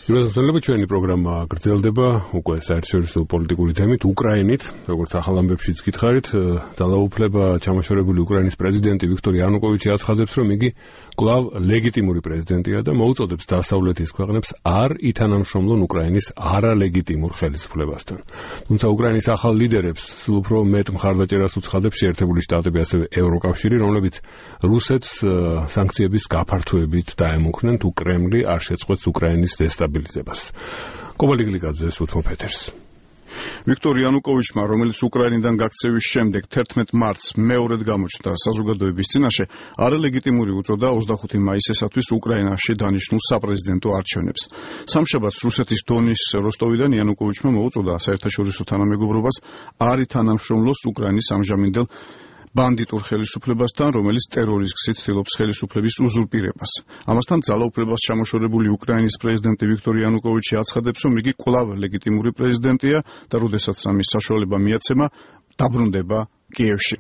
Იროსელები ჩვენი პროგრამა გრძელდება უკვე საერთაშორისო პოლიტიკური თემით უკრაინით, როგორც ახალ ამბებშიც გითხარით, ძალაუფლება ჩამოშორებული უკრაინის პრეზიდენტი ვიქტორ იანუკოვიჩი აცხადებს, რომ იგი კვლავ ლეგიტიმური პრეზიდენტია და მოუწოდებს დასავლეთის ქვეყნებს არ ითანამშრომლონ უკრაინის არალეგიტიმურ ხელისუფლებასთან. თუმცა უკრაინის ახალ ლიდერებს სულ უფრო მეტ მხარდაჭერას უცხადებს შეერთებული შტატები, ასევე ევროკავშირი, რომლებიც რუსეთს სანქციების გაფართოებით დაემუქრნენ, თუ კრემლი არ შეწყვეტს უკრაინის დესტაბილიზებას. კოვალიგლიკაძეს უთმობ ეთერს. ვიქტორ იანუკოვიჩმა, რომელიც უკრაინიდან გაქცევის შემდეგ 11 მარტს მეორედ გამოჩნდა საზოგადოების წინაშე, არალეგიტიმური უწოდა 25 მაისისათვის უკრაინაში დანიშნულ საპრეზიდენტო არჩევნებს. სამშაბათს რუსეთის დონის როსტოვიდან იანუკოვიჩმა მოუწოდა საერთაშორისო თანამეგობრობას არ ითანამშრომლოს უკრაინის ამჟამინდელ ბანდიტურ ხელისუფლებასთან, რომელიც ტერორის გზით ცდილობს ხელისუფლების უზურპირებას. ამასთან ძალაუფლებას ჩამოშორებული უკრაინის პრეზიდენტი ვიქტორ იანუკოვიჩი აცხადებს, რომ იგი კვლავ ლეგიტიმური პრეზიდენტია და როდესაც ამის საშუალება მიაცემა, დაბრუნდება კიევში.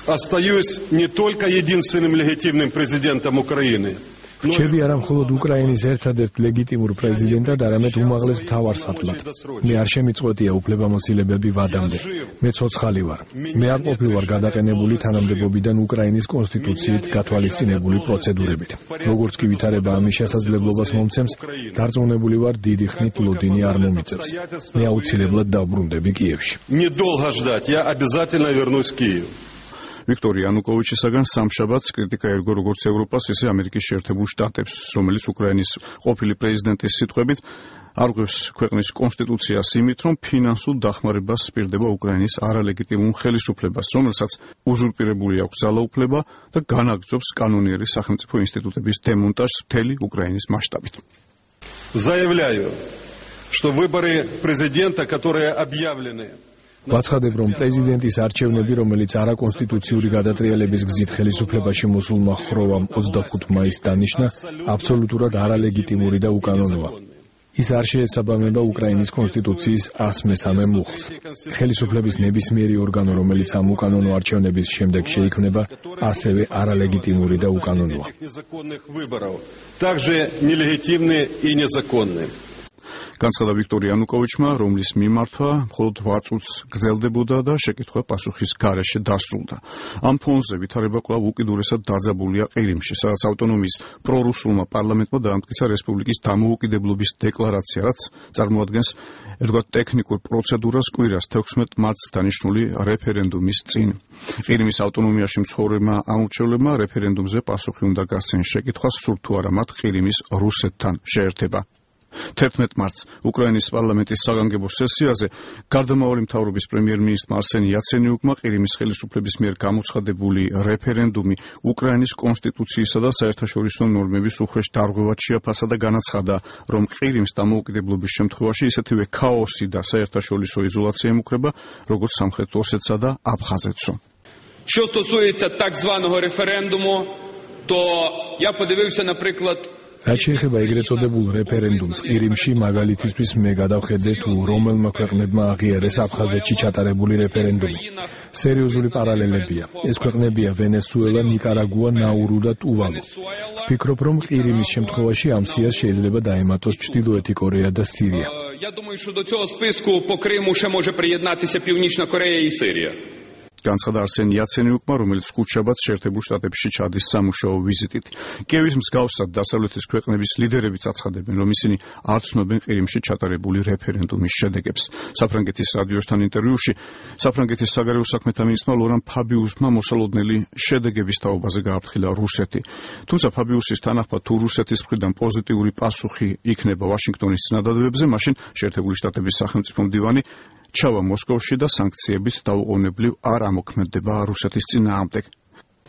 Остаюсь не только единственным легитимным президентом Украины. რჩები არა მხოლოდ უკრაინის ერთადერთ ლეგიტიმურ პრეზიდენტად, არამედ უმაღლეს მთავარსარდლად. მე არ შემიწყვეტია უფლებამოსილებები ვადამდე. მე ცოცხალი ვარ. მე არ ყოფილვარ გადაყენებული თანამდებობიდან უკრაინის კონსტიტუციით გათვალისწინებული პროცედურებით. როგორც კი ვითარება ამის შესაძლებლობას მომცემს, დარწმუნებული ვარ, დიდი ხნით ლოდინი არ მომიწევს. მე აუცილებლად დავბრუნდები კიევში. Недолго ждать, я обязательно вернусь в Киев. ვიქტორ იანუკოვიჩისაგან სამშაბათს კრიტიკა ერგო როგორც ევროპას, ისე ამერიკის შეერთებულ შტატებს, რომელიც უკრაინის ყოფილი პრეზიდენტის სიტყვებით არღვევს ქვეყნის კონსტიტუციას იმით, რომ ფინანსურ დახმარებას სპირდება უკრაინის არალეგიტიმურ ხელისუფლებას, რომელსაც უზურპირებული აქვს ძალაუფლება და განაგრძობს კანონიერი სახელმწიფო ინსტიტუტების დემონტაჟს მთელი უკრაინის მასშტაბით. Заявляю, что выборы президента, которые объявлены ვაცხადებ, რომ პრეზიდენტის არჩევნები, რომელიც არაკონსტიტუციური გადატრიალების გზით ხელისუფლებაში მოსულმა ხროვამ 25 მაისს დანიშნა, აბსოლუტურად არალეგიტიმური და უკანონოა. ის არ შეესაბამება უკრაინის კონსტიტუციის 103 მუხლს. ხელისუფლების ნებისმიერი ორგანო, რომელიც ამ უკანონო არჩევნების შემდეგ შეიქმნება, ასევე არალეგიტიმური და უკანონოა. Также нелегитимны и незаконны. განცხადა ვიქტორ იანუკოვიჩმა, რომლის მიმართვა მხოლოდ 8 წუთს გრძელდებოდა და შეკითხვა პასუხის გარეშე დასრულდა. ამ ფონზე ვითარება კვლავ უკიდურესად დაძაბულია ყირიმში, სადაც ავტონომიის პრორუსულმა პარლამენტმა დაამტკიცა რესპუბლიკის დამოუკიდებლობის декларация, რაც წარმოადგენს ერთგვარ ტექნიკურ პროცედურას კვირას 16 მარტს დანიშნული რეფერენდუმის წინ. ყირიმის ავტონომიაში მცხოვრებმა ამორჩევლებმა რეფერენდუმზე პასუხი უნდა გასცენ შეკითხვას, სურთ თუ არა მათ ყირიმის რუსეთთან შეერთება. 11 მარტს უკრაინის პარლამენტის საგანგებო სესიაზე გარდამავალი მთავრობის პრემიერ-მინისტრმა არსენ იაცენიუკმა ყირიმის ხელისუფლების მიერ გამოცხადებული რეფერენდუმი უკრაინის კონსტიტუციისა და საერთაშორისო ნორმების უხეშ დარღვევად შეაფასა და განაცხადა, რომ ყირიმს დამოუკიდებლობის შემთხვევაში ისეთივე ქაოსი და საერთაშორისო იზოლაცია ემუქრება, როგორც სამხრეთ ოსეთსა და აფხაზეთსო. Що стосується так званого референдуму, то я подивився, наприклад, რაც შეეხება ეგრეთ წოდებულ რეფერენდუმს ყირიმში, მაგალითისთვის მე გადავხედე თუ რომელმა ქვეყნებმა აღიარეს აფხაზეთში ჩატარებული რეფერენდუმი. სერიოზული პარალელებია. ეს ქვეყნებია ვენესუელა, ნიკარაგუა, ნაურუ და ტუვალუ. ვფიქრობ, რომ ყირიმის შემთხვევაში ამ სიას შეიძლება დაემატოს ჩრდილოეთი კორეა და სირია. Я думаю, що до цього списку по Криму ще може приєднатися Північна Корея і Сирія. განცხადა არსენ იაცენიუკმა, რომელიც ხუთშაბათს შეერთებულ შტატებში ჩადის სამუშაო ვიზიტით. კიევის მსგავსად დასავლეთის ქვეყნების ლიდერებიც აცხადებენ, რომ ისინი არ ცნობენ ყირიმში ჩატარებული რეფერენდუმის შედეგებს. საფრანგეთის რადიოსთან ინტერვიუში საფრანგეთის საგარეო საქმეთა მინისტრმა ლორან ფაბიუსმა მოსალოდნელი შედეგების თაობაზე გააფრთხილა რუსეთი. თუმცა ფაბიუსის თანახმად, თუ რუსეთის მხრიდან პოზიტიური პასუხი იქნება ვაშინგტონის წინადადებებზე, მაშინ შეერთებული შტატების სახელმწიფო მდივანი ჩავა მოსკოვში და სანქციების დაუყოვნებლივ არ ამოქმედება რუსეთის წინააღმდეგ.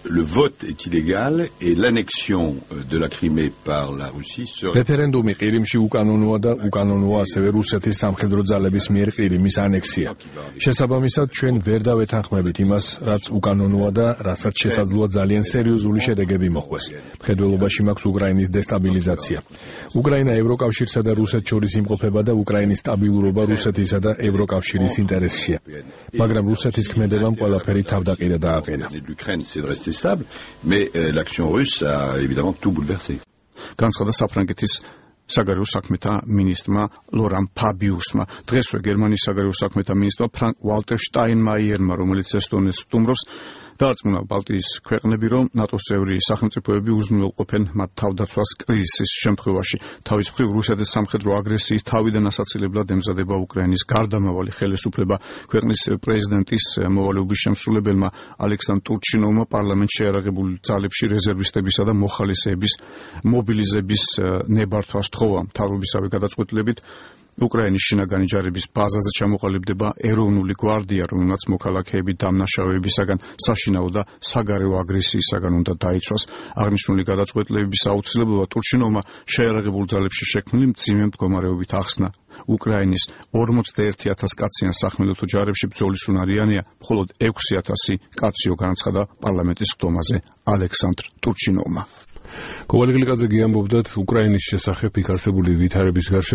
Le vote est illégal et l'annexion de la Crimée par la Russie serait... რეფერენდუმი ყირიმში უკანონოა და უკანონოა ასევე რუსეთის სამხედრო ძალების მიერ ყირიმის ანექსია. შესაბამისად, ჩვენ ვერ დავეთანხმებით იმას, რაც უკანონოა და რასაც შესაძლოა ძალიან სერიოზული შედეგები მოხვდეს. მხედველობაში მაქვს უკრაინის დესტაბილიზაცია. უკრაინა ევროკავშირსა და რუსეთს შორის იმყოფება და უკრაინის სტაბილურობა რუსეთისა და ევროკავშირის ინტერესშია. მაგრამ რუსეთის ქმედებამ ყველაფერი თავდაყირა დააყენა. stable, mais l'action russe a évidemment tout bouleversé. განცხადა საფრანგეთის საგარეო საქმეთა მინისტრმა ლორან ფაბიუსმა. დღესვე გერმანიის საგარეო საქმეთა მინისტრმა ფრანკ ვალტერ შტაინმაიერმა, რომელიც ესტონეთს სტუმრობს, დაარწმუნა ბალტიის ქვეყნები, რომ ნატოს წევრი სახელმწიფოები უზრუნველყოფენ მათ თავდაცვას კრიზისის შემთხვევაში. თავის მხრივ რუსეთის სამხედრო აგრესიის თავიდან ასაცილებლად ემზადება უკრაინის გარდამავალი ხელისუფლება. ქვეყნის პრეზიდენტის მოვალეობის შემსრულებელმა ალექსანდრ ტურჩინოვმა პარლამენტში შეიარაღებულ ძალებში რეზერვისტებისა და მოხალისეების მობილიზების ნებართვა სთხოვა. მთავრობისავე გადაწყვეტილებით უკრაინის შინაგანი ჯარების ბაზაზე ჩამოყალიბდება ეროვნული გვარდია, რომელმაც მოქალაქეები დამნაშავეებისაგან, საშინაო და საგარეო აგრესიისაგან უნდა დაიცვას. აღნიშნული გადაწყვეტილებების აუცილებლობა ტურჩინოვმა შეიარაღებულ ძალებში შექმნილი მძიმე მდგომარეობით ახსნა. უკრაინის 41,000 კაციან სახმელეთო ჯარებში ბრძოლის უნარიანია მხოლოდ 6,000 კაციო, განაცხადა პარლამენტის ხდომაზე ალექსანდრ ტურჩინოვმა. კოვალიკლიძე გიამბობდათ უკრაინის შესახებ იქ არსებული ვითარების გარშემო